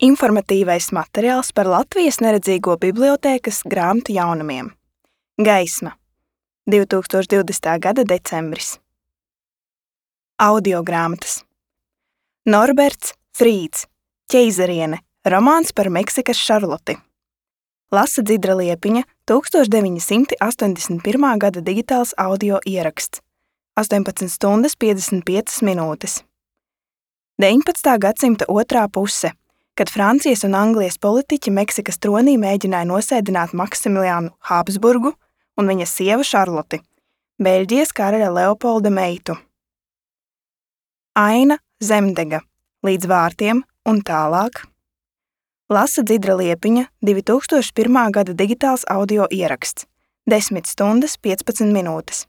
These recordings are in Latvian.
Informatīvais materiāls par Latvijas neredzīgo bibliotēkas grāmatu jaunumiem. Gaisma. 2020. gada decembris. Audiogrāmatas. Norberts Frīds. Ķeizariene. Romāns par Meksikas Šarloti. Lasa Dzidra Liepiņa. 1981. gada digitāls audio ieraksts. 18 stundas 55 minūtes. 19. gadsimta otrā puse, kad Francijas un Anglijas politiķi Meksikas tronī mēģināja nosēdināt Maksimiliānu Habsburgu un viņa sievu Šarloti, Beļģijas karaļa Leopolda meitu. Aina Zemdega, līdz vārtiem un tālāk. Lasa Dzidra Liepiņa, 2001. gada digitāls audio ieraksts, 10 stundas 15 minūtes.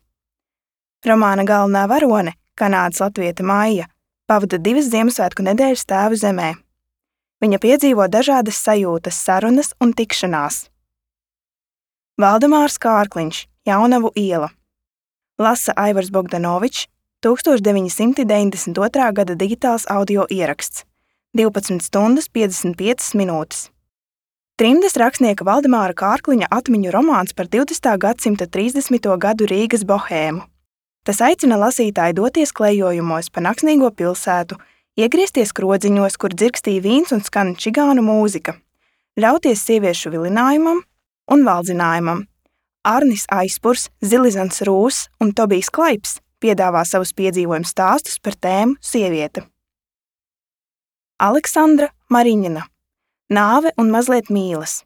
Romāna galvenā varone, kanādas latviete Maija, pavada 2 Ziemassvētku nedēļas tēvu zemē. Viņa piedzīvo dažādas sajūtas, sarunas un tikšanās. Valdemārs Kārkliņš, Jaunavu iela. Lasa Aivars Bogdanovičs, 1992. gada digitāls audio ieraksts, 12 stundas 55 minūtes. Trimdas rakstnieka Valdemāra Kārkliņa atmiņu romāns par 20. gadsimta 30. gadu Rīgas bohēmu. Tas aicina lasītāju doties klejojumos pa naksnīgo pilsētu, iegriezties krodziņos, kur dzirkstīja vīns un skan čigānu mūzika, ļauties sieviešu vilinājumam un valdzinājumam. Arnis Aizpurs, Zilizants Rūss un Tobijs Klaips piedāvā savus piedzīvojumu stāstus par tēmu sieviete. Aleksandra Mariņina. Nāve un mazliet mīlas.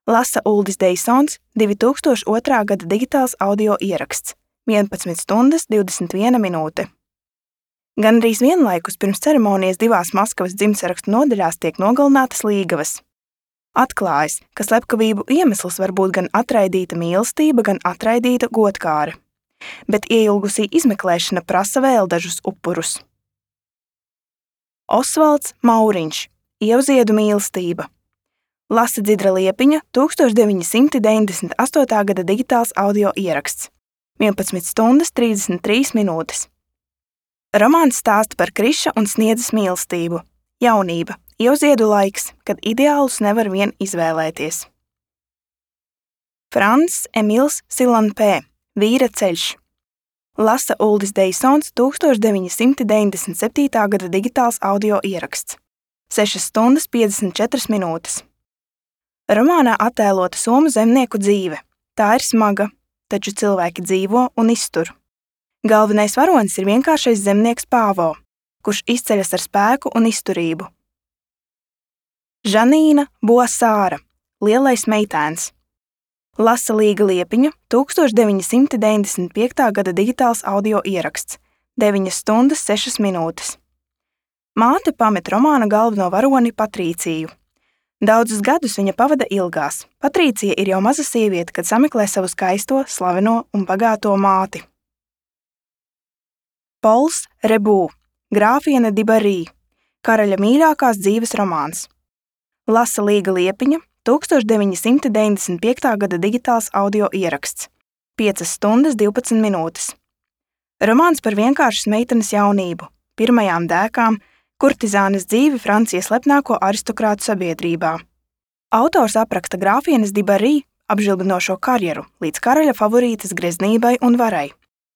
Lasa Uldis Deisons, 2002. gada digitāls audio ieraksts, 11 stundas 21 minūte. Gandrīz vienlaikus pirms ceremonijas 2 Maskavas dzimtsarakstu nodaļās tiek nogalinātas līgavas. Atklājas, ka slepkavību iemesls var būt gan atraidīta mīlestība, gan atraidīta godkāre, bet ieilgusī izmeklēšana prasa vēl dažus upurus. Osvalds Mauriņš, Ievziedu mīlestība. Lasa Dzidra Liepiņa, 1998. gada digitāls audio ieraksts, 11 stundas 33 minūtes. Romāns stāsta par Kriša un Sniedzes mīlestību. Jaunība, Ievziedu laiks, kad ideālus nevar vien izvēlēties. Frans Emils Silanpē, Vīra ceļš. Lasa Uldis Deisons, 1997. gada digitāls audio ieraksts, 6 stundas 54 minūtes. Romānā attēlota somu zemnieku dzīve. Tā ir smaga, taču cilvēki dzīvo un iztur. Galvenais varonis ir vienkāršais zemnieks Pāvo, kurš izceļas ar spēku un izturību. Žanīna Boasāra, Lielais meitēns. Lasa Līga Liepiņa, 1995. gada digitāls audio ieraksts, 9 stundas 6 minūtes. Māte pamet romāna galveno varoni Patrīciju. Daudzus gadus viņa pavada ilgās. Patrīcija ir jau maza sieviete, kad sameklē savu skaisto, slaveno un bagāto māti. Pols Rebū, Grāfiene Dibarī, karaļa mīļākās dzīves romāns. Lasa Līga Liepiņa, 1995. gada digitāls audio ieraksts, 5 stundas 12 minūtes. Romāns par vienkāršas meitenes jaunību, pirmajām dēkām, kurtizānes dzīvi Francijas slepnāko aristokrātu sabiedrībā. Autors apraksta grāfienes Dibarī apžilbinošo karjeru līdz karaļa favorītes greznībai un varai,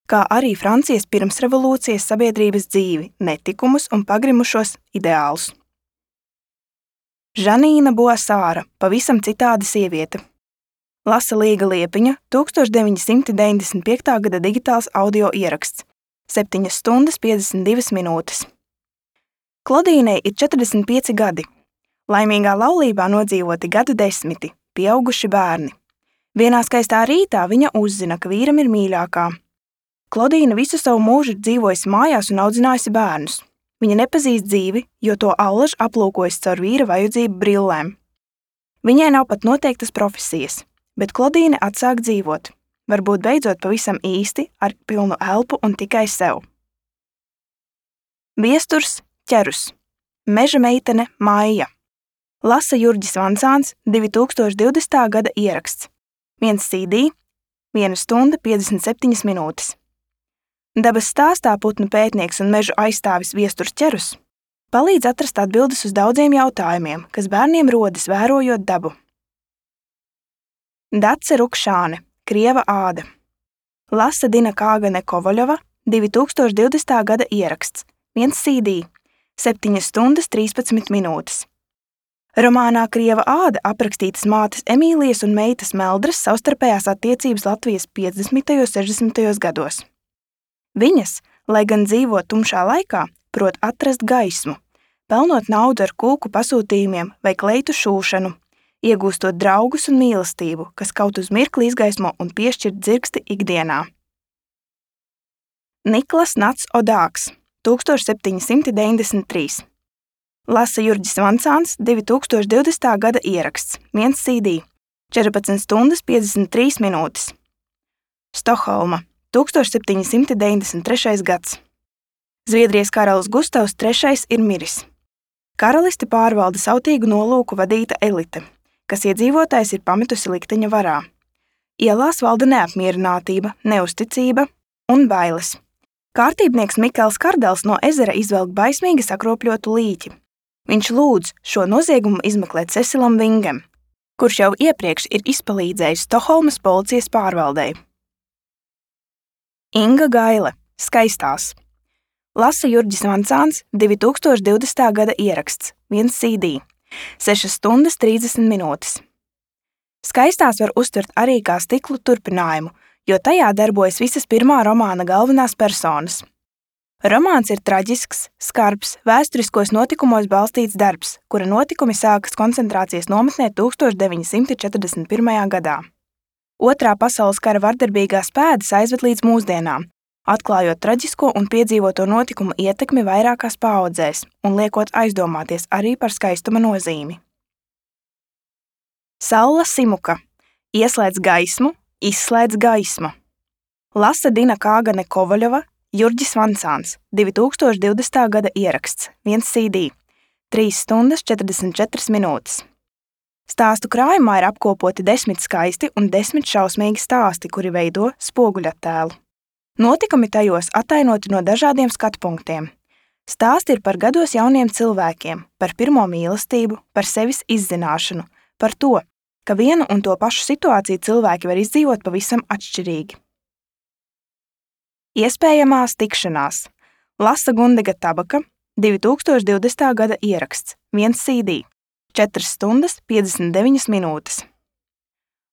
kā arī Francijas pirmsrevolūcijas sabiedrības dzīvi, netikumus un pagrimušos ideālus. Žanīna Boasāra, pavisam citāda sieviete. Lasa Līga Liepiņa, 1995. gada digitāls audio ieraksts, 7 stundas 52 minūtes. Klodīnei ir 45 gadi. Laimīgā laulībā nodzīvoti gadu desmiti, pieauguši bērni. Vienā skaistā rītā viņa uzzina, ka vīram ir mīļākā. Klodīna visu savu mūžu ir dzīvojusi mājās un audzinājusi bērnus. Viņa nepazīst dzīvi, jo to allaž aplūkojas caur vīra vajadzību brillēm. Viņai nav pat noteiktas profesijas, bet Klodīne atsāk dzīvot, varbūt beidzot pavisam īsti, ar pilnu elpu un tikai sev. Viesturs Ķerus, Meža meitene Maija. Lasa Jurģis Vancāns, 2020. gada ieraksts, 1 CD, 1 stunda 57 minūtes. Dabas stāstā putnu pētnieks un mežu aizstāvis Viesturs Ķerus Palīdz atrast atbildes uz daudziem jautājumiem, kas bērniem rodas vērojot dabu. Dace Rukšāne, Krieva āda. Lasa Dina Kāgane Kovaļova, 2020. gada ieraksts, 1 CD, 7 stundas 13 minūtes. Romānā Krieva āda aprakstītas mātes Emīlijas un meitas Meldras savstarpējās attiecības Latvijas 50. un 60. gados. Viņas, lai gan dzīvo tumšā laikā, prot atrast gaismu, pelnot naudu ar kūku pasūtījumiem vai kleitu šūšanu, iegūstot draugus un mīlestību, kas kaut uz mirkli izgaismo un piešķir dzirksti ikdienā. Niklas Nats Odāks, 1793. Lasa Jurģis Vancāns, 2020. gada ieraksts, 1 CD, 14 stundas 53 minūtes. Stokholma, 1793. gads. Zviedrijas karalis Gustavs III ir miris. Karalisti pārvalda sautīgu nolūku vadīta elite, kas iedzīvotājs ir pametusi likteņa varā. Ielās valda neapmierinātība, neusticība un bailes. Kārtībnieks Mikels Kardels no ezera izvelk baismīgi sakropļotu līķi. Viņš lūdz šo noziegumu izmeklēt Cecilam Vingem, kurš jau iepriekš ir izpalīdzējis Stokholmas policijas pārvaldei. Inga Gaile, Skaistās. Lasa Jurģis Vancāns, 2020. gada ieraksts, 1 CD, 6 stundas 30 minūtes. Skaistās var uztvert arī kā stiklu turpinājumu, jo tajā darbojas visas pirmā romāna galvenās personas. Romāns ir traģisks, skarbs, vēsturiskos notikumos balstīts darbs, kura notikumi sākas koncentrācijas nometnē 1941. gadā. Otrā pasaules kara vardarbīgās pēdas aizved līdz mūsdienām, atklājot traģisko un piedzīvoto notikumu ietekmi vairākās paaudzēs un liekot aizdomāties arī par skaistuma nozīmi. Salla Simuka, Ieslēdz gaismu, izslēdz gaismu. Lasa Dina Kāgane Kovaļova, Jurģis Vancāns, 2020. gada ieraksts, 1 CD, 3 stundas 44 minūtes. Stāstu krājumā ir apkopoti 10 skaisti un 10 šausmīgi stāsti, kuri veido spoguļattēlu. Notikumi tajos attainoti no dažādiem skatpunktiem. Stāsti ir par gados jauniem cilvēkiem, par pirmo mīlestību, par sevis izzināšanu, par to, ka vienu un to pašu situāciju cilvēki var izdzīvot pavisam atšķirīgi. Iespējamās tikšanās. Lasa Gundega Tabaka, 2020. gada ieraksts, 1 CD, 4 stundas 59 minūtes.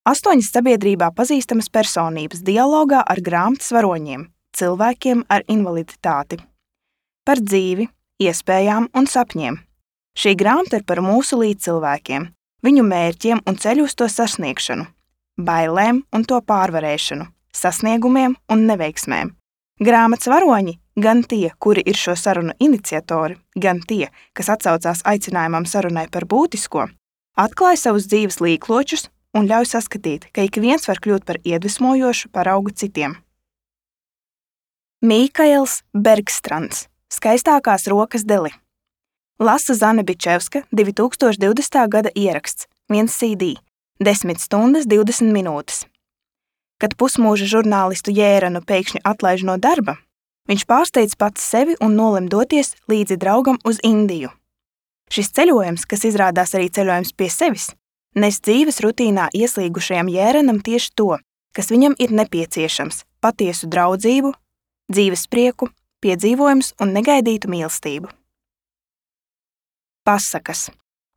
8 sabiedrībā pazīstamas personības dialogā ar grāmatas varoņiem, cilvēkiem ar invaliditāti. Par dzīvi, iespējām un sapņiem. Šī grāmata ir par mūsu līdzcilvēkiem, viņu mērķiem un ceļu uz to sasniegšanu, bailēm un to pārvarēšanu, sasniegumiem un neveiksmēm. Grāmatas varoņi, gan tie, kuri ir šo sarunu iniciatori, gan tie, kas atsaucās aicinājumam sarunai par būtisko, atklāja savus dzīves līkločus un ļauj saskatīt, ka ik viens var kļūt par iedvesmojošu paraugu citiem. Mīkails Bergstrands, Skaistākās rokas deli. Lasa Zane Bičevska, 2020. gada ieraksts, 1 CD, 10 stundas 20 minūtes. Kad pusmūža žurnālistu Jēranu pēkšņi atlaiž no darba, viņš pārsteidz pats sevi un nolem doties līdzi draugam uz Indiju. Šis ceļojums, kas izrādās arī ceļojums pie sevis, nes dzīves rutīnā ieslīgušajam Jēranam tieši to, kas viņam ir nepieciešams – patiesu draudzību, dzīves prieku, piedzīvojumus un negaidītu mīlestību. Pasakas.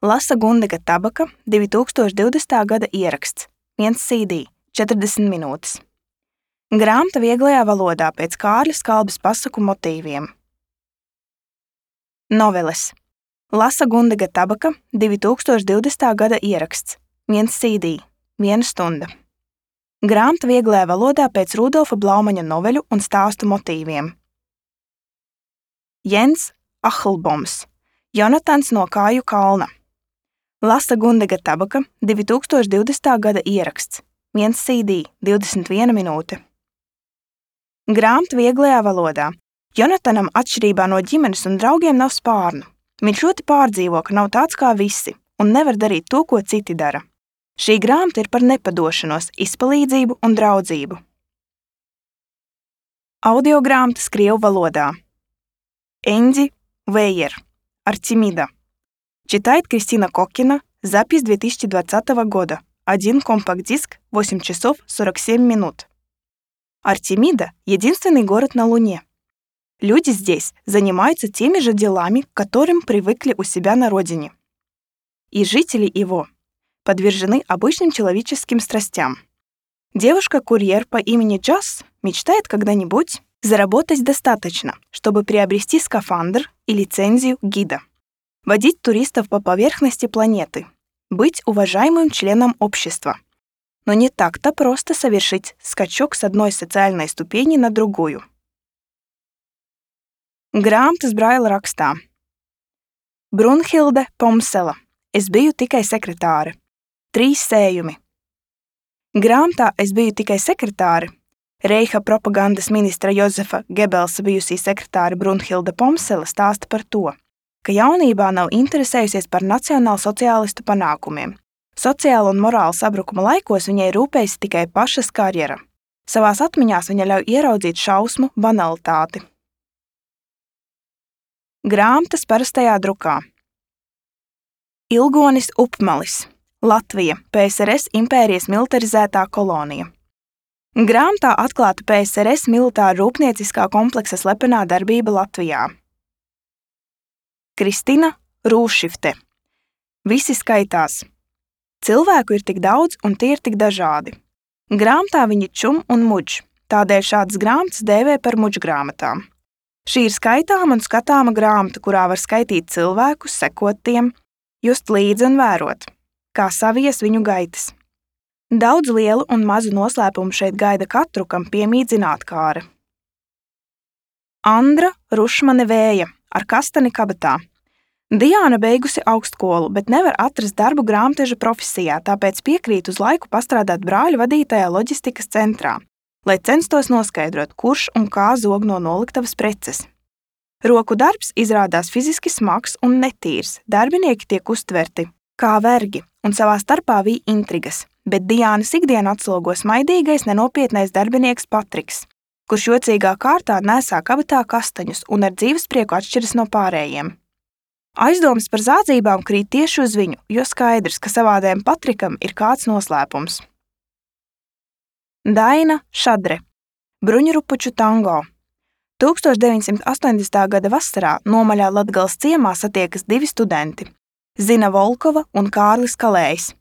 Lasa Gundega Tabaka, 2020. gada ieraksts, 1 CD, 40 minūtes. Grāmata vieglajā valodā pēc Kārļa Skalbes pasaku motīviem. Noveles. Lasa Gundega Tabaka, 2020. gada ieraksts, 1 CD, 1 stunda. Grāmata vieglajā valodā pēc Rudolfa Blaumaņa noveļu un stāstu motīviem. Jens Ahlboms, Jonatans no Kāju kalna. Lasa Gundega Tabaka, 2020. gada ieraksts, 1 CD, 21 minūte. Grāmata vieglajā valodā. Jonatanam atšķirībā no ģimenes un draugiem nav spārnu. Viņš ļoti pārdzīvo, ka nav tāds kā visi un nevar darīt to, ko citi dara. Šī grāmata ir par nepadošanos, izpalīdzību un draudzību. Audiogrāmatas krievu valodā. Eņģi Vējer. Артемида. Читает Кристина Коккина. Запись 2020 года. 1 компакт-диск, 8 часов 47 минут. Артемида — единственный город на Луне. Люди здесь занимаются теми же делами, к которым привыкли у себя на родине. И жители его подвержены обычным человеческим страстям. Девушка-курьер по имени Джаз мечтает когда-нибудь заработать достаточно, чтобы приобрести скафандр и лицензию гида, водить туристов по поверхности планеты, быть уважаемым членом общества. Но не так-то просто совершить скачок с одной социальной ступени на другую. Grāmatas Braila rakstā. Brunhilde Pomsela. Es biju tikai sekretāre. 3 sējumi. Grāmatā Es biju tikai sekretāre. Reiha propagandas ministra Jozefa Gebelsa bijusī sekretāre Brunhilde Pomsela stāsta par to, ka jaunībā nav interesējusies par nacionālsociālistu panākumiem. Sociāla un morāla sabrukuma laikos viņai rūpējas tikai pašas karjera. Savās atmiņās viņa ļauj ieraudzīt šausmu banalitāti. Grāmatas parastajā drukā. Ilgonis Upmalis, Latvija, PSRS impērijas militarizētā kolonija. Grāmatā atklāta PSRS militāra rūpnieciskā kompleksa slepenā darbība Latvijā. Kristina Rūšifte. Visi skaitās. Cilvēku ir tik daudz un tie ir tik dažādi. Grāmatā viņi čum un muģ, tādēļ šādas grāmatas dēvē par muģgrāmatām. Šī ir skaitāma un skatāma grāmata, kurā var skaitīt cilvēkus, sekot tiem, just līdzi un vērot, kā savies viņu gaitas. Daudz lielu un mazu noslēpumu šeit gaida katru, kam piemīt zinātkāre. Andra Rušmane Vēja ar kastani kabatā. Diāna beigusi augstskolu, bet nevar atrast darbu grāmatveža profesijā, tāpēc piekrīt uz laiku pastrādāt brāļu vadītajā loģistikas centrā, lai censtos noskaidrot, kurš un kā zog no noliktavas preces. Roku darbs izrādās fiziski smags un netīrs, darbinieki tiek uztverti kā vergi un savā starpā vij intrigas, bet Diānas ikdienu atslogo smaidīgais, nenopietnais darbinieks Patriks, kurš jocīgā kārtā nesā kabatā kastaņus un ar dzīvesprieku atšķiras no pārējiem. Aizdomas par zādzībām krīt tieši uz viņu, jo skaidrs, ka savādējam Patrikam ir kāds noslēpums. Daina Šadre. Bruņurupuču tango. 1980. gada vasarā Nomaļā Latgales ciemā satiekas 2 studenti – Zina Volkova un Kārlis Kalējs.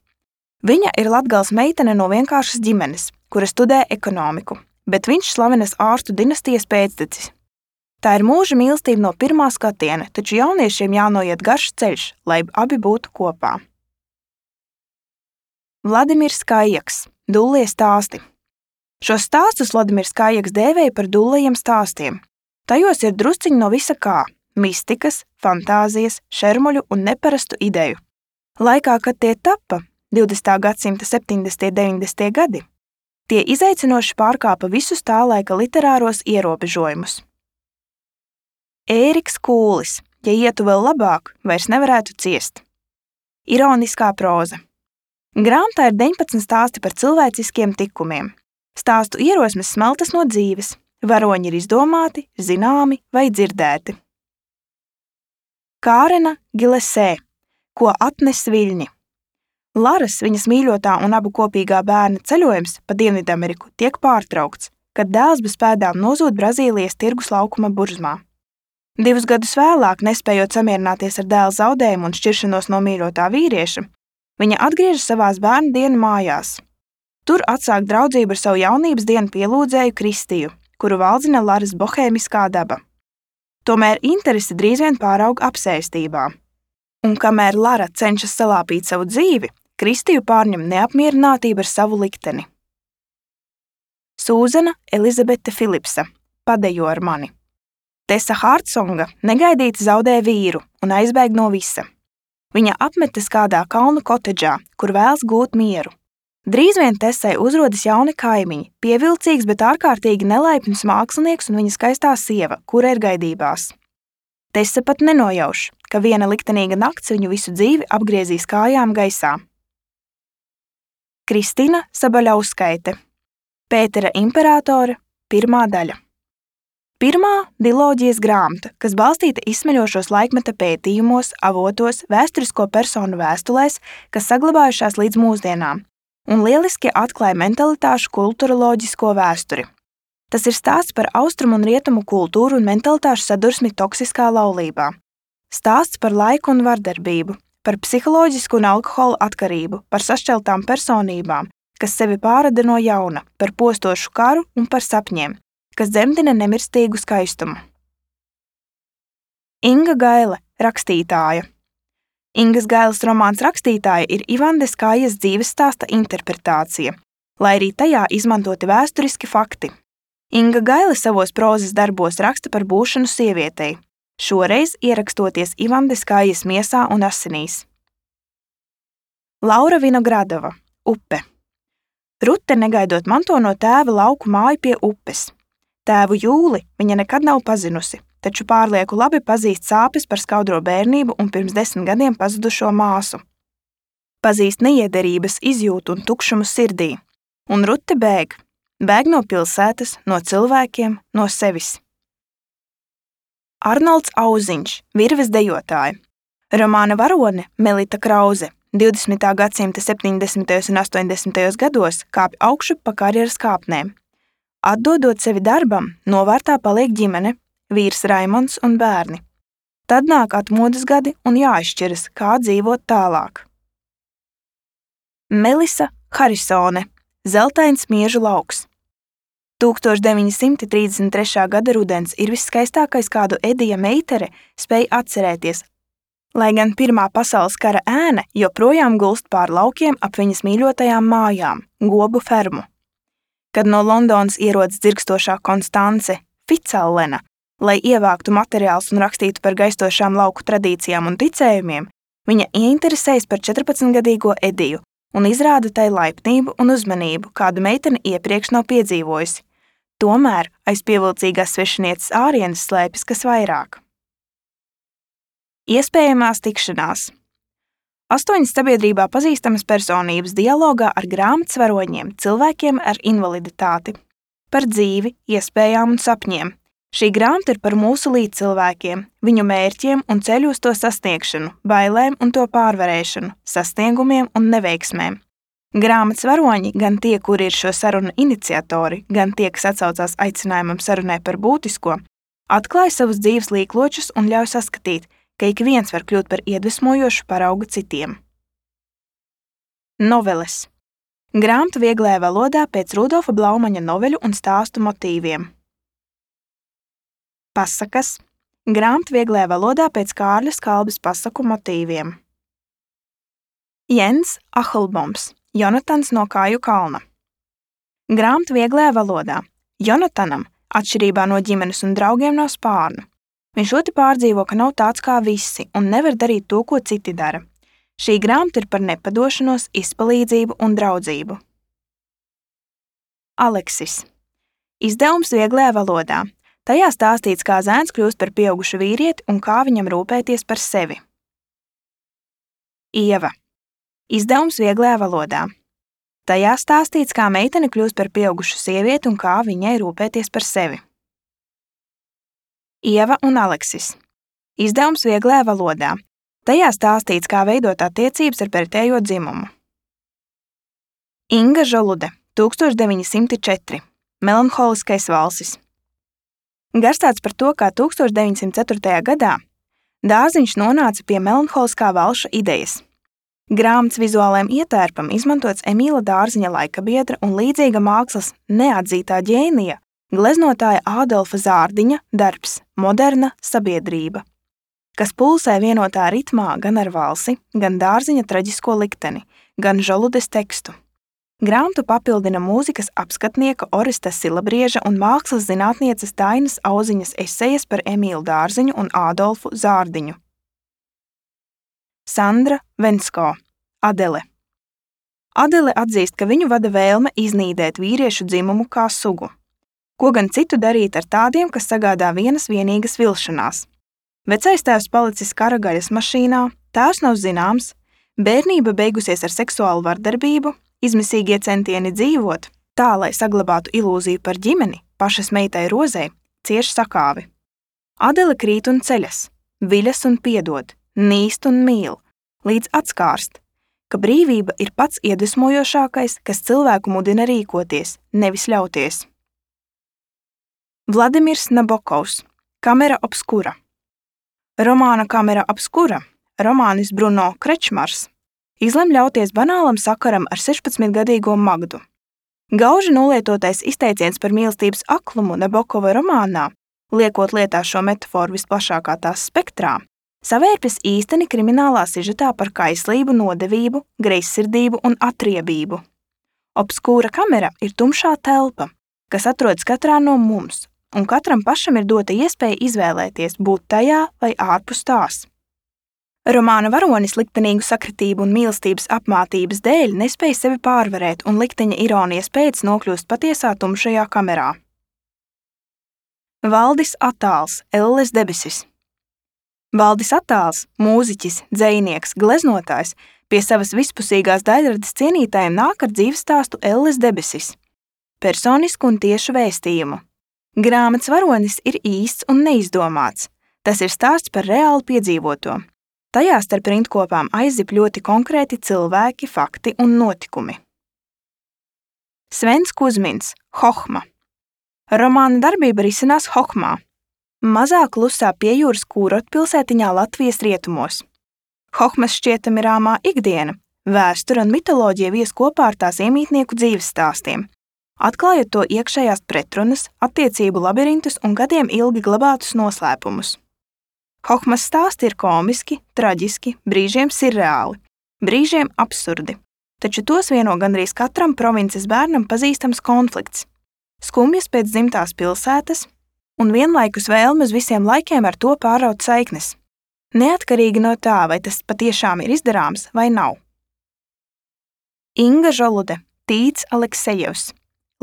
Viņa ir Latgales meitene no vienkāršas ģimenes, kura studē ekonomiku, bet viņš slavenas ārstu dinastijas pēctecis. Tā ir mūža mīlestība no pirmā skatiena, taču jauniešiem jānoiet garš ceļš, lai abi būtu kopā. Vladimirs Kājaks. Dullie stāsti. Šos stāstus Vladimirs Kājaks dēvēja par dullajiem stāstiem. Tajos ir drusciņi no visa kā – mistikas, fantāzijas, šermuļu un neparastu ideju. Laikā, kad tie tappa, 20. gadsimta 70. 90. gadi, tie izaicinoši pārkāpa visus tā laika literāros ierobežojumus. Ēriks Kūlis, ja ietu vēl labāk, vairs nevarētu ciest. Ironiskā próza. Grāmatā ir 19 stāsti par cilvēciskiem tikumiem. Stāstu ierosmes smeltas no dzīves, varoņi ir izdomāti, zināmi vai dzirdēti. Kārena Gilesē. Ko atnes viļņi. Laras, viņas mīļotā un abu kopīgā bērna ceļojums pa Dienvidameriku tiek pārtraukts, kad dēls bez pēdām nozūd Brazīlijas tirgus laukuma burzmā. 2 gadus vēlāk, nespējot samierināties ar dēla zaudējumu un šķiršanos no mīļotā vīrieša, viņa atgriežas savās bērnu dienu mājās. Tur atsāk draudzību ar savu jaunības dienu pielūdzēju Kristiju, kuru valdzina Laras bohēmiskā daba. Tomēr interese drīz vien pārauga apsēstībā. Un kamēr Lara cenšas salāpīt savu dzīvi, Kristiju pārņem neapmierinātība ar savu likteni. Sūzana Elizabete Filipsa. Padejo ar mani. Tesa Hārtsonga negaidīti zaudē vīru un aizbēg no visa. Viņa apmetas kādā kalnu kotedžā, kur vēlas gūt mieru. Drīz vien Tesai uzrodas jauni kaimiņi, pievilcīgs, bet ārkārtīgi nelaipns mākslinieks un viņa skaistā sieva, kura ir gaidībās. Tesa pat nenojauš, ka viena liktenīga nakts viņu visu dzīvi apgriezīs kājām gaisā. Kristina Sabaļauskaite. Pētera imperātore, 1. daļa. Pirmā diloģijas grāmata, kas balstīta izsmeļošos laikmeta pētījumos, avotos, vēsturisko personu vēstulēs, kas saglabājušās līdz mūsdienām, un lieliski atklāja mentalitāšu kulturoloģisko vēsturi. Tas ir stāsts par austrumu un rietumu kultūru un mentalitāšu sadursmi toksiskā laulībā. Stāsts par laiku un vardarbību, par psiholoģisku un alkohola atkarību, par sašķeltām personībām, kas sevi pārrada no jauna, par postošu karu un par sapņiem, kas dzemdina nemirstīgu skaistumu. Inga Gaile, rakstītāja. Ingas Gailes romāns Rakstītāja ir Ivandes Kājas dzīves stāsta interpretācija, lai arī tajā izmantoti vēsturiski fakti. Inga Gaile savos prozas darbos raksta par būšanu sievietei, šoreiz ierakstoties Ivandes Kājas miesā un asinīs. Laura Vinogradova, Upe. Rute negaidot manto no tēva lauku māju pie upes. Tēvu Jūli viņa nekad nav pazinusi, taču pārlieku labi pazīst sāpes par skaudro bērnību un pirms 10 gadiem pazudušo māsu. Pazīst neiederības izjūtu un tukšumu sirdī, un Rute bēg no pilsētas, no cilvēkiem, no sevis. Arnolds Auziņš, virves dejotāja. Romāna varone Melita Krauze 20. gadsimta 70. un 80. gados kāpj augšup pa karjeras kāpnēm. Atdodot sevi darbam, novārtā paliek ģimene, vīrs Raimonds un bērni. Tad nāk atmodas gadi un jāizšķiras, kā dzīvot tālāk. Melisa Harisone, Zeltains Miežu lauks. 1933. gada rudens ir visskaistākais, kādu Edija Meitere spēj atcerēties, lai gan Pirmā pasaules kara ēna joprojām gulst pār laukiem ap viņas mīļotajām mājām, Gobu fermu. Kad no Londonas ierodas dzirkstošā Konstance Ficallena, lai ievāktu materiālus un rakstītu par gaistošām lauku tradīcijām un ticējumiem, viņa ieinteresējas par 14-gadīgo Ediju un izrāda tai laipnību un uzmanību, kādu meitene iepriekš nav piedzīvojusi. Tomēr aiz pievilcīgās svešinieces ārienes slēpjas kas vairāk. Iespējamās tikšanās. 8 sabiedrībā pazīstamas personības dialogā ar grāmatas varoņiem, cilvēkiem ar invaliditāti, par dzīvi, iespējām un sapņiem. Šī grāmata ir par mūsu līdzcilvēkiem, viņu mērķiem un ceļu uz to sasniegšanu, bailēm un to pārvarēšanu, sasniegumiem un neveiksmēm. Grāmatas varoņi, gan tie, kuri ir šo sarunu iniciatori, gan tie, kas atsaucās aicinājumam sarunai par būtisko, atklāja savus dzīves līkločus un ļauj saskatīt, ka ik viens var kļūt par iedvesmojošu paraugu citiem. Noveles. Grāmata vieglajā valodā pēc Rudolfa Blaumaņa noveļu un stāstu motīviem. Pasakas. Grāmata vieglajā valodā pēc Kārļa Skalbes pasaku motīviem. Jens Ahlboms. Jonatans no Kāju kalna. Grāmata vieglajā valodā. Jonatanam, atšķirībā no ģimenes un draugiem, nav spārnu. Viņš ļoti pārdzīvo, ka nav tāds kā visi un nevar darīt to, ko citi dara. Šī grāmata ir par nepadošanos, izpalīdzību un draudzību. Aleksis. Izdevums vieglajā valodā. Tajā stāstīts, kā zēns kļūst par pieaugušu vīrieti un kā viņam rūpēties par sevi. Ieva. Izdevums vieglajā valodā. Tajā stāstīts, kā meitene kļūst par pieaugušu sievieti un kā viņai rūpēties par sevi. Ieva un Aleksis. Izdevums vieglajā valodā. Tajā stāstīts, kā veidot attiecības ar pretējo dzimumu. Inga Žolude, 1904. Melanholiskais valsis. Garstāsts par to, kā 1904. gadā Dārziņš nonāca pie melanholiskā valša idejas. Grāmatas vizuālajam ietērpam izmantots Emīla Dārziņa laikabiedra un līdzīga mākslas neatzītā ģēnija, gleznotāja Ādolfa Zārdiņa darbs Moderna sabiedrība, kas pulsē vienotā ritmā gan ar valsi, gan Dārziņa traģisko likteni, gan Žoludes tekstu. Grāmatu papildina mūzikas apskatnieka Oresta Silabrieža un mākslas zinātnieces Dainas Auziņas esejas par Emīlu Dārziņu un Ādolfu Zārdiņu. Sandra Vensko, Adele. Adele atzīst, ka viņu vada vēlme iznīdēt vīriešu dzimumu kā sugu. Ko gan citu darīt ar tādiem, kas sagādā vienas vienīgas vilšanās? Vecais tēvs palicis kara gaļas mašīnā, tēvs nav zināms, bērnība beigusies ar seksuālu vardarbību, izmisīgie centieni dzīvot, tā, lai saglabātu ilūziju par ģimeni, pašas meitai Rozei, cieš sakāvi. Adele krīt un ceļas, viļas un piedod, nīst un mīl, līdz atskārst, ka brīvība ir pats iedvesmojošākais, kas cilvēku mudina rīkoties, nevis ļauties. Vladimirs Nabokovs, Kamera obskura. Romāna Kamera obskura romānis Bruno Krečmars izlem ļauties banālam sakaram ar 16-gadīgo Magdu. Gauži nolietotais izteiciens par mīlestības aklumu Nabokova romānā, liekot lietā šo metaforu visplašākā tās spektrā, savērpjas īsteni kriminālā sižetā par kaislību, nodevību, greizsirdību un atriebību. Obskūra kamera ir tumšā telpa, kas atrodas katrā no mums, un katram pašam ir dota iespēja izvēlēties būt tajā vai ārpus tās. Romāna varonis liktenīgu sakritību un mīlestības apmātības dēļ nespēja sevi pārvarēt un likteņa ironijas pēc nokļūst patiesā tumšajā kamerā. Valdis Atāls, Elles debesis. Valdis Atāls, mūziķis, dzejnieks, gleznotājs, pie savas vispusīgās daļradas cienītājiem nāk ar dzīves stāstu Elles debesis. Personisku un tiešu vēstījumu. Grāmatas varonis ir īsts un neizdomāts. Tas ir stāsts par reāli piedzīvoto. Tajā starp rindkopām aizzip ļoti konkrēti cilvēki, fakti un notikumi. Svens Kuzmins, Hohma. Romāna darbība risinās Hohmā, mazā klusā piejūras kūrotpilsētiņā Latvijas rietumos. Hohmas šķietami rāmā ikdiena, vēsture un mitoloģija vies kopā ar tās iemītnieku dzīves stāstiem, atklājot to iekšējās pretrunas, attiecību labirintus un gadiem ilgi glabātus noslēpumus. Hohmas stāsti ir komiski, traģiski, brīžiem sirreāli, brīžiem absurdi, taču tos vieno gandrīz katram provinces bērnam pazīstams konflikts, skumjas pēc dzimtās pilsētas un vienlaikus vēlme uz visiem laikiem ar to pāraut saiknes, neatkarīgi no tā, vai tas patiešām ir izdarāms vai nav. Inga Žolude, Tīts Aleksejevs,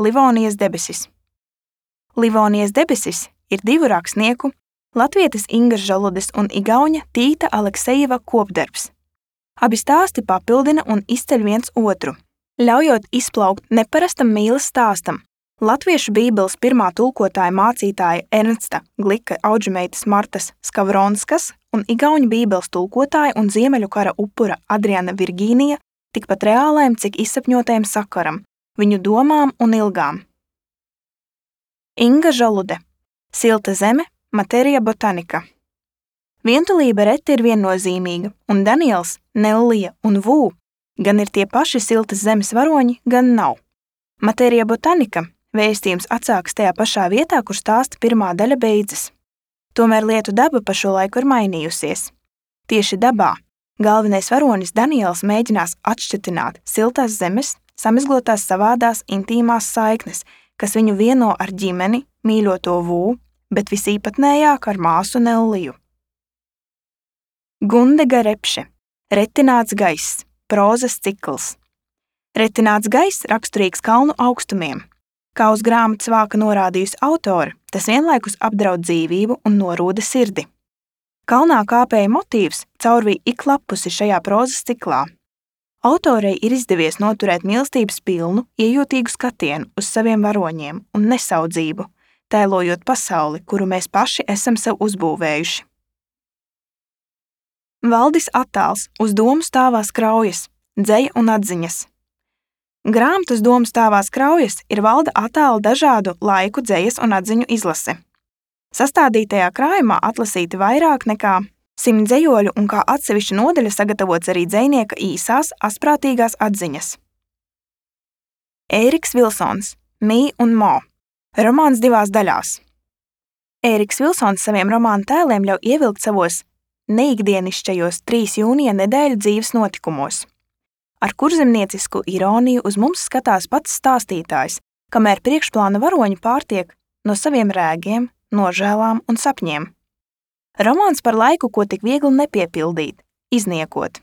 Livonijas debesis. Livonijas debesis ir divu rakstnieku, latvietes Ingas Žaludes un igauņa Tīta Aleksejeva kopdarbs. Abi stāsti papildina un izceļ viens otru, ļaujot izplaukt neparastam mīles stāstam. Latviešu bībeles pirmā tulkotāja mācītāja Ernsta Glika audžumeitas Martas Skavronskas un igauņu bībeles tulkotāja un Ziemeļu kara upura Adriana Virgīnija tikpat reālajam, cik izsapņotajam sakaram, viņu domām un ilgām. Inga Žalude, Silta zeme, Materia botanika. Vientulība reti ir viennozīmīga, un Daniels, Nellija un Vū gan ir tie paši siltas zemes varoņi, gan nav. Materia botanika vēstījums atsākas tajā pašā vietā, kur stāsta pirmā daļa beidzas. Tomēr lietu daba pa šo laiku ir mainījusies. Tieši dabā galvenais varonis Daniels mēģinās atšķetināt siltās zemes, samizglotās savādās intīmās saiknes, kas viņu vieno ar ģimeni, mīļoto Vū, bet visīpatnējāk ar māsu Nelliju. Gundega Repše, Retināts gaiss, prózas cikls. Retināts gaiss raksturīgs kalnu augstumiem. Kā uz grāmatas vāka norādījusi autore, tas vienlaikus apdraud dzīvību un norūda sirdi. Kalnā kāpēja motīvs caurvīja ik lapusi šajā prózas ciklā. Autorei ir izdevies noturēt mīlestības pilnu, iejūtīgu skatienu uz saviem varoņiem un nesaudzību, tēlojot pasauli, kuru mēs paši esam sev uzbūvējuši. Valdis Atāls, Uz domu stāvās kraujas, dzeja un atziņas. Grāmatas domu stāvās kraujas ir Valda Atāla dažādu laiku dzejas un atziņu izlase. Sastādītajā krājumā atlasīti vairāk nekā 100 dzejoļu un kā atsevišķa nodaļa sagatavots arī dzejnieka īsās, asprātīgās atziņas. Ēriks Vilsons, Mī un Mo. Romāns divās daļās. Ēriks Vilsons saviem romānu tēliem ļauj ievilkt savos neikdienišķajos 3 jūnija nedēļu dzīves notikumos. Ar kurzemniecisku ironiju uz mums skatās pats stāstītājs, kamēr priekšplāna varoņi pārtiek no saviem rēgiem, nožēlām un sapņiem. Romāns par laiku, ko tik viegli nepiepildīt, izniekot.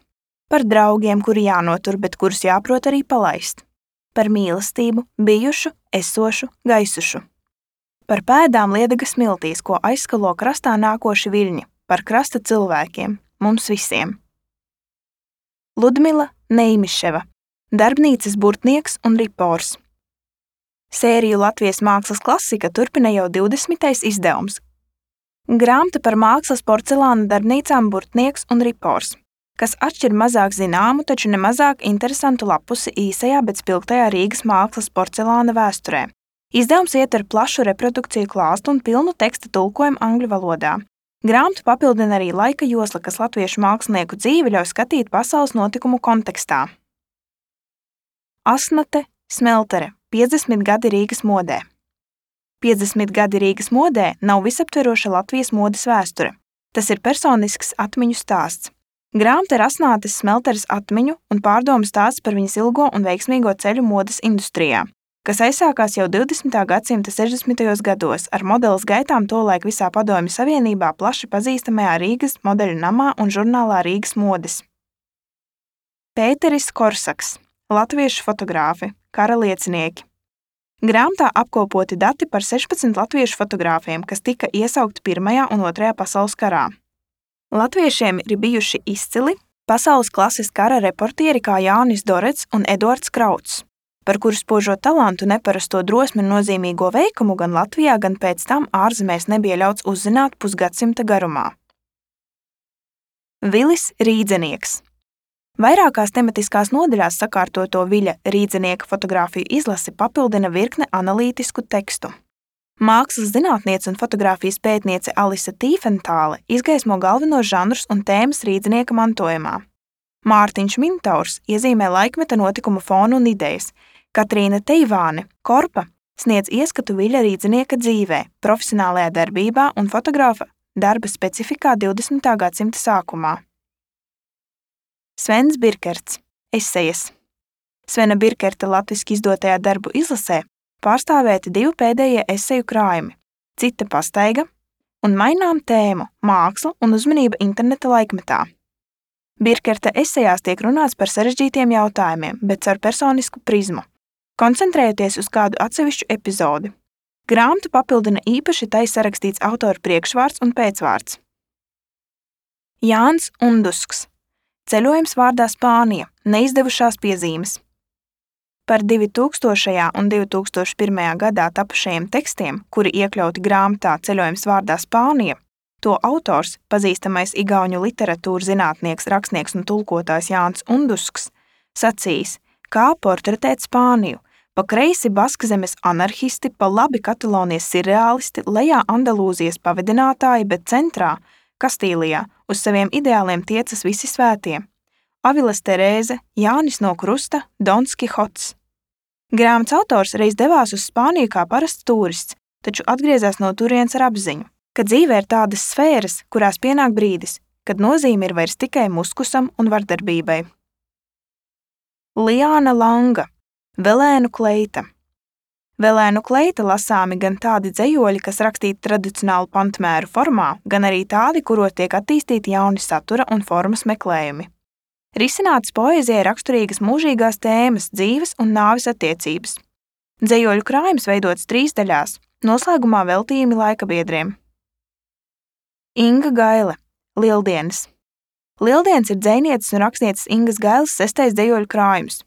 Par draugiem, kuri jānotur, bet kurus jāprot arī palaist. Par mīlestību, bijušu, esošu, gaisušu. Par pēdām liedega smiltīs, ko aizskalo krastā nākoši viļņi, par krasta cilvēkiem, mums visiem. Ludmila Neimiševa, darbnīcas burtnieks un ripors. Sēriju Latvijas mākslas klasika turpina jau 20. izdevums. Grāmata par mākslas porcelāna darbnīcām Burtnieks un Ripors, kas atšķir mazāk zināmu, taču nemazāk interesantu lapusi īsajā, bet spilgtajā Rīgas mākslas porcelāna vēsturē. Izdevums ietver plašu reprodukciju klāstu un pilnu teksta tulkojumu angļu valodā. Grāmatu papildina arī laika josla, kas latviešu mākslinieku dzīvi ļauj skatīt pasaules notikumu kontekstā. Asnate Smeltere, 50 gadi Rīgas modē. 50 gadi Rīgas modē nav visaptveroša Latvijas modes vēsture. Tas ir personisks atmiņu stāsts. Grāmata ir Asnates Smelteres atmiņu un pārdomu stāsts par viņas ilgo un veiksmīgo ceļu modes industrijā, kas aizsākās jau 20. gadsimta 60. gados ar modeles gaitām tolaik visā Padomju Savienībā plaši pazīstamajā Rīgas modeļu namā un žurnālā Rīgas modes. Pēteris Korsaks, latviešu fotogrāfi, kara liecinieki. Grāmatā apkopoti dati par 16 latviešu fotogrāfiem, kas tika iesaukti Pirmajā un Otrajā pasaules karā. Latviešiem ir bijuši izcili pasaules klases kara reportieri kā Jānis Dorets un Eduards Krauts, par kuru spožo talantu, neparasto drosmi un nozīmīgo veikumu gan Latvijā, gan pēc tam ārzemēs nebija ļauts uzzināt pusgadsimta garumā. Vilis Rīdzenieks. Vairākās tematiskās nodaļās sakārtoto Viļa Rīdzenieka fotogrāfiju izlasi papildina virkne analītisku tekstu. Mākslas zinātniece un fotogrāfijas pētniece Alise Tīfentāle izgaismo galvenos žanrus un tēmas Rīdzenieka mantojumā. Mārtiņš Mintaurs iezīmē laikmeta notikumu fonu un idejas. Katrīna Teivāne, Korpa, sniedz ieskatu Viļa Rīdzenieka dzīvē, profesionālajā darbībā un fotogrāfa darba specifikā 20. gadsimta sākumā. Svens Birkerts, esejas. Svena Birkerta latviski izdotajā darbu izlasē pārstāvēti 2 pēdējie eseju krājumi – Cita pastaiga un Mainām tēmu – māksla un uzmanība interneta laikmetā. Birkerta esejās tiek runāts par sarežģītiem jautājumiem, bet caur personisku prizmu, koncentrējoties uz kādu atsevišķu epizodi. Grāmatu papildina īpaši tai sarakstīts autora priekšvārds un pēcvārds. Jānis Undusks. Ceļojums vārdā Spānija, neizdevušās piezīmes. Par 2000. un 2001. gadā tapušajiem tekstiem, kuri iekļauti grāmatā Ceļojums vārdā Spānija, to autors, pazīstamais igauņu literatūras zinātnieks, rakstnieks un tulkotājs Jānis Undusks, sacījis, kā portretēt Spāniju, pa kreisi Baskzemes anarhisti, pa labi Katalonijas sirreālisti, lejā Andalūzijas pavedinātāji, bet centrā, Kastīlijā, uz saviem ideāliem tiecas visi svētie. Aviles Terēze, Jānis no Krusta, Dons Kihots. Grāmatas autors reiz devās uz Spāniju kā parasts turists, taču atgriezās no turienes ar apziņu, ka dzīvē ir tādas sfēras, kurās pienāk brīdis, kad nozīme ir vairs tikai muskusam un vardarbībai. Liāna Langa, Velēnu kleita. Velēnu kleita lasāmi gan tādi dzejoļi, kas rakstīti tradicionālu pantmēru formā, gan arī tādi, kuros tiek attīstīti jauni satura un formas meklējumi. Risinātas poēzijai raksturīgas mūžīgās tēmas, dzīves un nāves attiecības. Dzejoļu krājums veidots 3 daļās, noslēgumā veltījumi laikabiedriem. Inga Gaile, Lieldienas. Lieldienas ir dzejnieces un rakstnieces Ingas Gailes 6. dzejoļu krājums.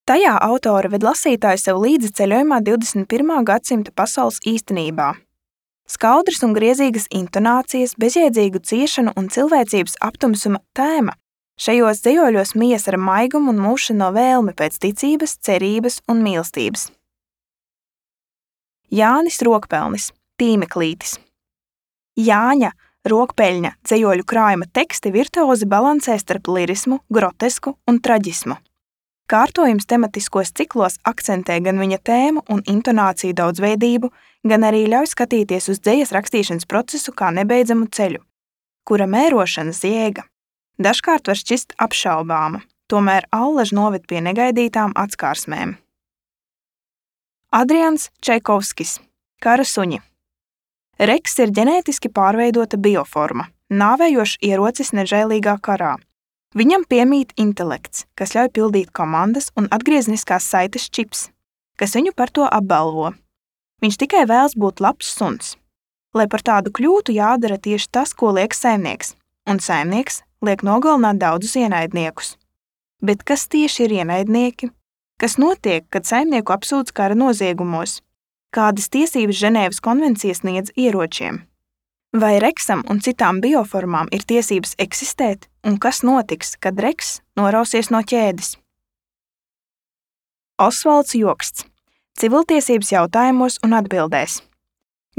Tajā autore ved lasītāju sev līdzi ceļojumā 21. gadsimta pasaules īstenībā. Skaudras un griezīgas intonācijas, bezjēdzīgu ciešanu un cilvēcības aptumsuma tēma šajos dzejoļos mijas ar maigumu un mūšano vēlmi pēc ticības, cerības un mīlestības. Jānis Rokpelnis, Tīmeklītis. Jāņa Rokpeļņa dzejoļu krājuma teksti virtuozi balansē starp lirismu, grotesku un traģismu. Kārtojums tematiskos ciklos akcentē gan viņa tēmu un intonāciju daudzveidību, gan arī ļauj skatīties uz dzejas rakstīšanas procesu kā nebeidzamu ceļu, kura mērošanas jēga dažkārt var šķist apšaubāma, tomēr allaž noved pie negaidītām atskārsmēm. Adrians Čaikovskis, Kara suņi. Reks ir ģenētiski pārveidota bioforma, nāvējošs ierocis nežēlīgā karā. Viņam piemīt intelekts, kas ļauj pildīt komandas un atgriezniskās saites čips, kas viņu par to apbalvo. Viņš tikai vēlas būt labs suns. Lai par tādu kļūtu, jādara tieši tas, ko liek saimnieks, un saimnieks liek nogalināt daudzus ienaidniekus. Bet kas tieši ir ienaidnieki? Kas notiek, kad saimnieku apsūdz kara noziegumos? Kādas tiesības Ženēvas konvencija sniedz ieročiem? Vai reksam un citām bioformām ir tiesības eksistēt, un kas notiks, kad reks norausies no ķēdes? Osvalds Joksts. Civiltiesības jautājumos un atbildēs.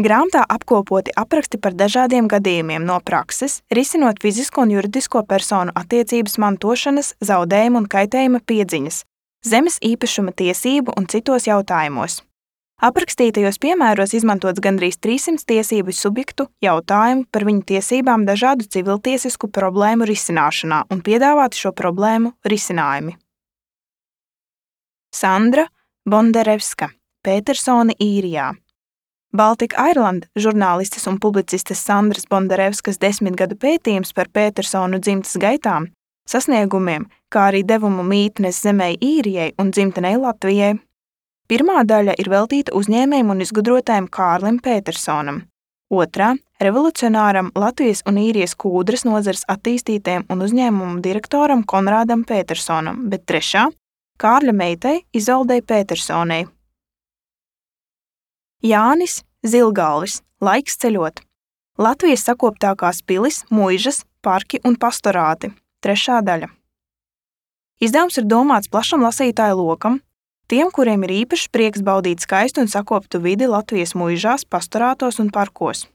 Grāmatā apkopoti apraksti par dažādiem gadījumiem no prakses, risinot fizisko un juridisko personu attiecības mantošanas, zaudējuma un kaitējuma piedziņas, zemes īpašuma tiesību un citos jautājumos. Aprakstītajos piemēros izmantots gandrīz 300 tiesību subjektu jautājumu par viņu tiesībām dažādu civiltiesisku problēmu risināšanā un piedāvāti šo problēmu risinājumi. Sandra Bondarevska, Petersone, Īrijā. Baltic Ireland žurnālistes un publicistes Sandras Bondarevskas 10 gadu pētījums par Petersonu dzimtas gaitām, sasniegumiem, kā arī devumu mītnes zemei Īrijai un dzimtenei Latvijai. Pirmā daļa ir veltīta uzņēmējam un izgudrotājam Kārlim Petersonam, otrā – revolucionāram Latvijas un Īrijas kūdras nozares attīstītājam un uzņēmumu direktoram Konrādam Petersonam, bet trešā – Kārļa meitai Izoldei Petersonei. Jānis Zilgalvis, Laiks ceļot. Latvijas sakoptākās pilis, muižas, parki un pastorāti, trešā daļa. Izdevums ir domāts plašam lasītāju lokam, tiem, kuriem ir īpašs prieks baudīt skaistu un sakoptu vidi Latvijas muižās, pastorātos un parkos,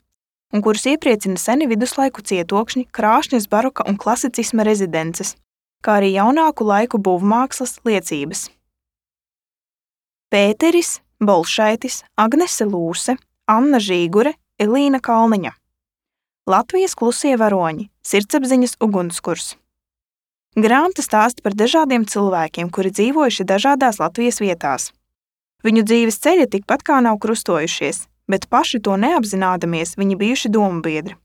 un kurus iepriecina seni viduslaiku cietokšņi, krāšņas baroka un klasicisma rezidences, kā arī jaunāku laiku būvmākslas liecības. Pēteris Bolšaitis, Agnese Lūse, Anna Žīgure, Elīna Kalniņa. Latvijas klusie varoņi, sirdsapziņas ugunskurs. Grāmata stāsta par dažādiem cilvēkiem, kuri dzīvojuši dažādās Latvijas vietās. Viņu dzīves ceļi tikpat kā nav krustojušies, bet paši to neapzinādamies viņi bijuši dombiedri.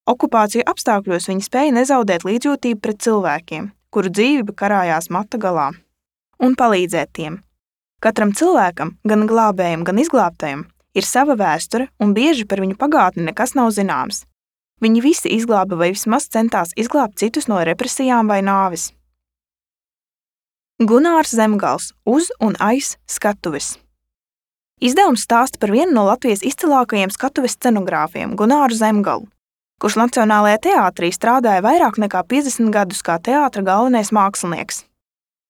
Okupāciju apstākļos viņi spēja nezaudēt līdzjūtību pret cilvēkiem, kuru dzīvība karājās mata galā, un palīdzēt tiem. Katram cilvēkam, gan glābējam, gan izglābtajam, ir sava vēsture, un bieži par viņu pagātni nekas nav zināms. Viņi visi izglāba vai vismaz centās izglābt citus no represijām vai nāves. Gunārs Zemgals, Uz un aiz skatuves. Izdevums stāsta par vienu no Latvijas izcilākajiem skatuves scenogrāfiem, Gunāru Zemgalu, kurš Nacionālajā teātrī strādāja vairāk nekā 50 gadus kā teātra galvenais mākslinieks.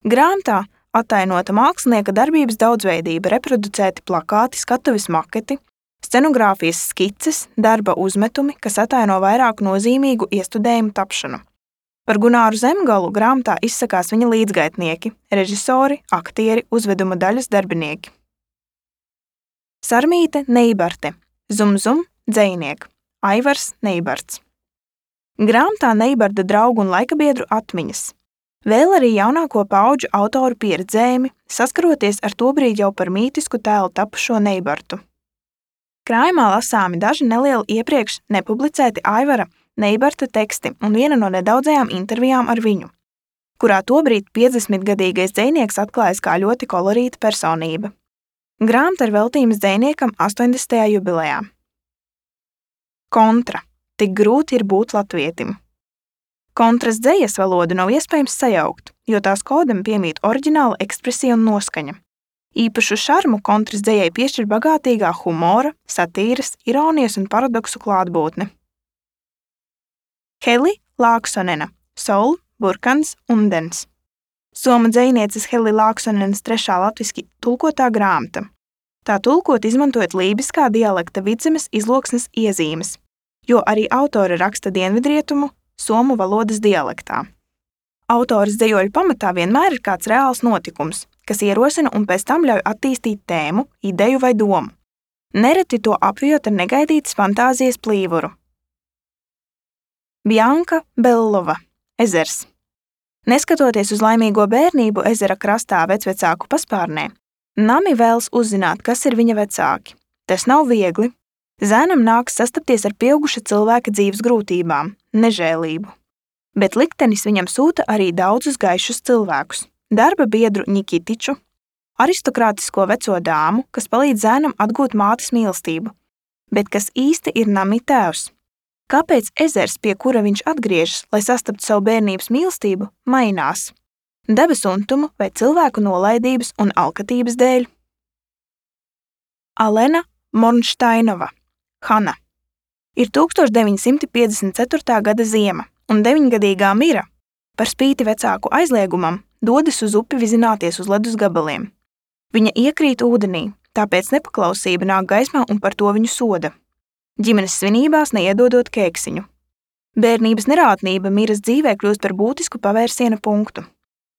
Grāmatā attainota mākslinieka darbības daudzveidība, reproducēti plakāti, skatuves maketi, scenogrāfijas skices, darba uzmetumi, kas attaino vairāku nozīmīgu iestudējumu tapšanu. Par Gunāru Zemgalu grāmatā izsakās viņa līdzgaitnieki, režisori, aktieri, uzveduma daļas darbinieki. Sarmīte Neibarte, Zum, dzejniek, Aivars Neibarts. Grāmatā Neibarda draugu un laikabiedru atmiņas. Vēl arī jaunāko paudžu autoru pieredzējumi, saskaroties ar tobrīd jau par mītisku tēlu tapušo Neibartu. Krājumā lasāmi daži nelieli iepriekš nepublicēti Aivara Neibarta teksti un viena no nedaudzajām intervijām ar viņu, kurā tobrīd 50-gadīgais dzejnieks atklājas kā ļoti kolorīta personība. Grāmata ir veltījums dzejniekam 80. jubilejā. Kontra. Tik grūti ir būt latvietim. Kontras dzejas valodu nav iespējams sajaukt, jo tās kodam piemīt oriģināla ekspresija un noskaņa. Īpašu šarmu kontras dzejai piešķir bagātīgā humora, satīras, ironijas un paradoksu klātbūtne. Heli Lāksonena, Sol, Burkans, Undens. Somu dzejnieces Heli Lāksonenas trešā latviski tulkotā grāmata. Tā tulkot izmantojot lībiskā dialekta Vidzemes izloksnes iezīmes, jo arī autori raksta dienvidrietumu somu valodas dialektā. Autoras dzejoļu pamatā vienmēr ir kāds reāls notikums, kas ierosina un pēc tam ļauj attīstīt tēmu, ideju vai domu. Nereti to apvijot ar negaidītas fantāzijas plīvuru. Bjanka Bellova, Ezers. Neskatoties uz laimīgo bērnību ezera krastā vecvecāku paspārnē, Nami vēlas uzzināt, kas ir viņa vecāki. Tas nav viegli. Zēnam nāks sastapties ar pieauguša cilvēka dzīves grūtībām, nežēlību. Bet liktenis viņam sūta arī daudzus gaišus cilvēkus. Darba biedru Nikitiču, aristokrātisko veco dāmu, kas palīdz zēnam atgūt mātes mīlestību, bet kas īsti ir Nami tēvs. Kāpēc ezers, pie kura viņš atgriežas, lai sastaptu savu bērnības mīlestību, mainās? dabas untumu vai cilvēku nolaidības un alkatības dēļ. Alena Mornšteinova, Hana. Ir 1954. gada ziema, un 9-gadīgā Mira, par spīti vecāku aizliegumam, dodas uz upi vizināties uz ledus gabaliem. Viņa iekrīt ūdenī, tāpēc nepaklausība nāk gaismā un par to viņu soda. Ģimenes svinībās neiedodot kēksiņu. Bērnības nerātnība Miras dzīvē kļūst par būtisku pavērsiena punktu.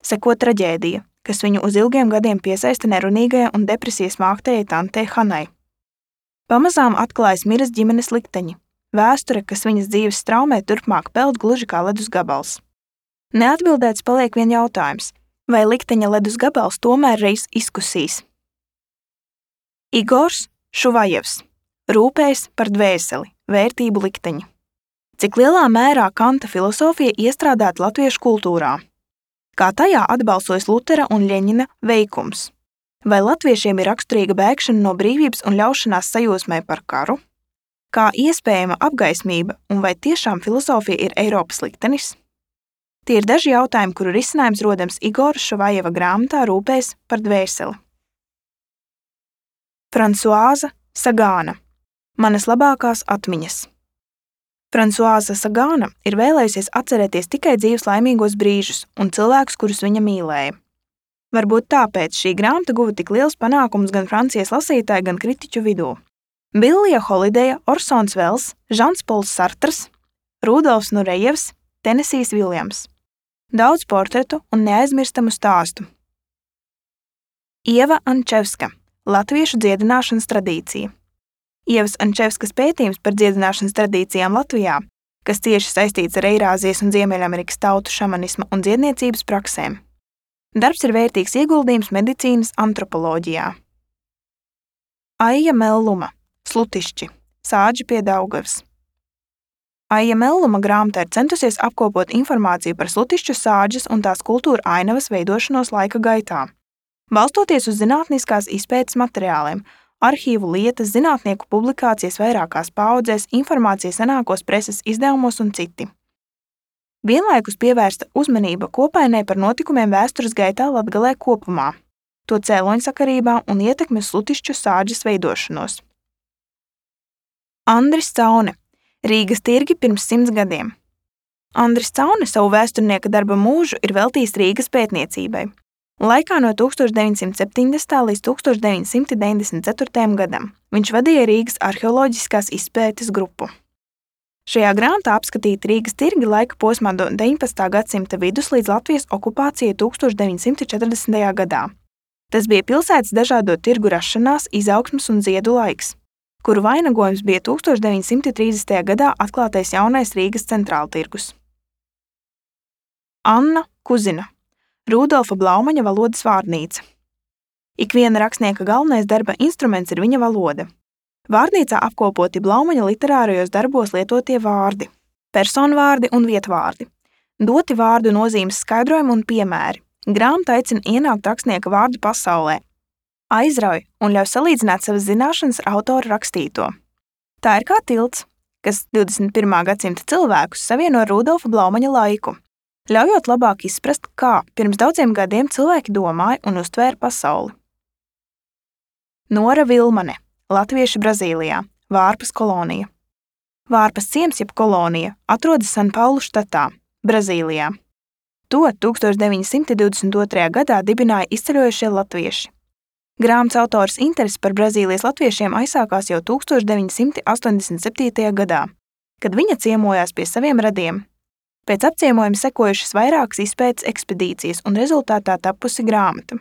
Seko traģēdija, kas viņu uz ilgiem gadiem piesaista nerunīgajai un depresijas māktējai tantei Hanai. Pamazām atklājas Miras ģimenes likteņi. Vēsture, kas viņas dzīves straumē turpmāk peld gluži kā ledus gabals. Neatbildēts paliek vien jautājums, vai likteņa ledus gabals tomēr reiz izkusīs. Igors Šuvajevs. Rūpējas par dvēseli, vērtību likteņi. Cik lielā mērā Kanta filosofija iestrādāta latviešu kultūrā? Kā tajā atbalsojas Lutera un Ļeņina veikums? Vai latviešiem ir raksturīga bēgšana no brīvības un ļaušanās sajūsmai par karu? Kā iespējama apgaismība un vai tiešām filosofija ir Eiropas liktenis? Tie ir daži jautājumi, kuru risinājums rodams Igora Šuvajeva grāmatā Rūpējas par dvēseli. Fransuāza Sagāna. Manas labākās atmiņas. Fransuāza Sagāna ir vēlējusies atcerēties tikai dzīves laimīgos brīžus un cilvēkus, kurus viņa mīlēja. Varbūt tāpēc šī grāmata guva tik liels panākums gan Francijas lasītāju, gan kritiķu vidū. Billija Holideja, Orsons Vels, Žans Pols Sartrs, Rudolfs Nurejevs, Tenesijs Viljams. Daudz portretu un neaizmirstamu stāstu. Ieva Ančevska. Latviešu dziedināšanas tradīcija. Ievas Ančevskas pētījums par dziedināšanas tradīcijām Latvijā, kas cieši saistīts ar Eirāzijas un Ziemeļamerikas tautu šamanisma un dziedniecības praksēm. Darbs ir vērtīgs ieguldījums medicīnas antropoloģijā. Aija Melluma. Slutišķi. Sāģi pie Daugavas. Aija Melluma grāmatā ir centusies apkopot informāciju par slutišķu sāģes un tās kultūra ainavas veidošanos laika gaitā. Balstoties uz zinātniskās izpētes materiāliem, arhīvu lietas, zinātnieku publikācijas vairākās paaudzēs, informācija senākos preses izdevumos un citi. Vienlaikus pievērsta uzmanība kopainē par notikumiem vēstures gaitā Latgalē kopumā, to cēloņsakarībā un ietekmi uz slutišķu sāģes veidošanos. Andris Caune. Rīgas tirgi pirms 100 gadiem. Andris Caune savu vēsturnieka darba mūžu ir veltījis Rīgas pētniecībai. Laikā no 1970. līdz 1994. gadam viņš vadīja Rīgas arheoloģiskās izpētes grupu. Šajā grāmatā apskatīti Rīgas tirgi laika posmā no 19. gadsimta vidus līdz Latvijas okupācijai 1940. gadā. Tas bija pilsētas dažādo tirgu rašanās, izaugsmes un ziedu laiks, kuru vainagojums bija 1930. gadā atklātais jaunais Rīgas centrāltirgus. Anna Kuzina. Rudolfa Blaumaņa valodas vārnīca. Ikviena rakstnieka galvenais darba instruments ir viņa valoda. Vārnīcā apkopoti Blaumaņa literārajos darbos lietotie vārdi, personvārdi un vietvārdi, doti vārdu nozīmes skaidrojumi un piemēri. Grāmata aicina ienākt rakstnieka vārdu pasaulē, aizrauj un ļauj salīdzināt savas zināšanas ar autora rakstīto. Tā ir kā tilts, kas 21. gadsimta cilvēkus savieno ar Rudolfa Blaumaņa laiku, ļaujot labāk izprast, kā pirms daudziem gadiem cilvēki domāja un uztvēra pasauli. Nora Vilmane. Latvieši Brazīlijā. Vārpas kolonija. Vārpas ciems jeb kolonija atrodas Sanpaulu štatā, Brazīlijā. To 1922. gadā dibināja izceļojušie latvieši. Grāmatas autors interesi par Brazīlijas latviešiem aizsākās jau 1987. gadā, kad viņa ciemojās pie saviem radiem. Pēc apciemojuma sekojušas vairākas izpētes ekspedīcijas un rezultātā tapusi grāmata.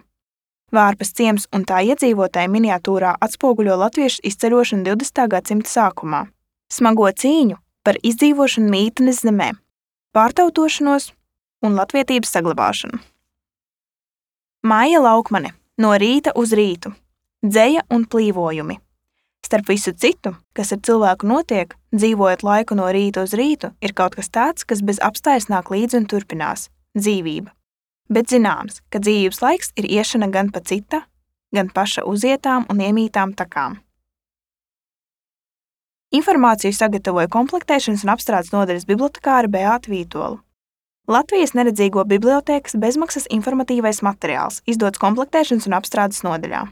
Vārpas ciems un tā iedzīvotāji miniatūrā atspoguļo latviešu izceļošanu 20. gadsimta sākumā, smago cīņu par izdzīvošanu mītnes zemē, pārtautošanos un latvietības saglabāšanu. Maija Laukmane. No rīta uz rītu. Dzeja un plīvojumi. Starp visu citu, kas ar cilvēku notiek, dzīvojot laiku no rīta uz rītu, ir kaut kas tāds, kas bez apstājas nāk līdzi un turpinās – dzīvība. Bet zināms, ka dzīvības laiks ir iešana gan pa cita, gan paša uzietām un iemītām takām. Informāciju sagatavoja komplektēšanas un apstrādes nodaļas bibliotekāre Beāta Vītola. Latvijas neredzīgo bibliotēkas bezmaksas informatīvais materiāls, izdots komplektēšanas un apstrādes nodaļā.